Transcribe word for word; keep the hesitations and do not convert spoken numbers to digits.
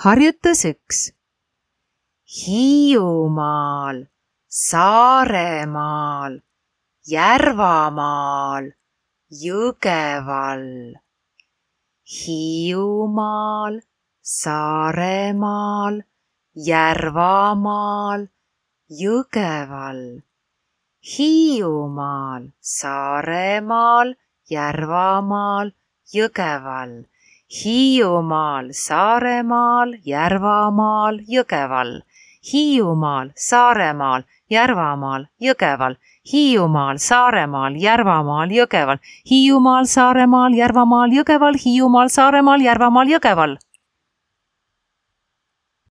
Harjutus üks. Hiiumaal, Saaremaal, Järvamaal, Jõgeval. Hiiumaal, Saaremaal, Järvamaal, Jõgeval. Hiiumaal, Saaremaal, Järvamaal, Jõgeval. Hiiumaal, Saaremaal, Järvamaal, Jõgeval. Hiiumaal, Saaremaal, Järvamaal, Jõgeval. Hiiumaal, Saaremaal, Järvamaal, Jõgeval. Hiiumaal, Saaremaal, Järvamaal, Jõgeval. Hiiumaal, Saaremaal, Järvamaal, Jõgeval.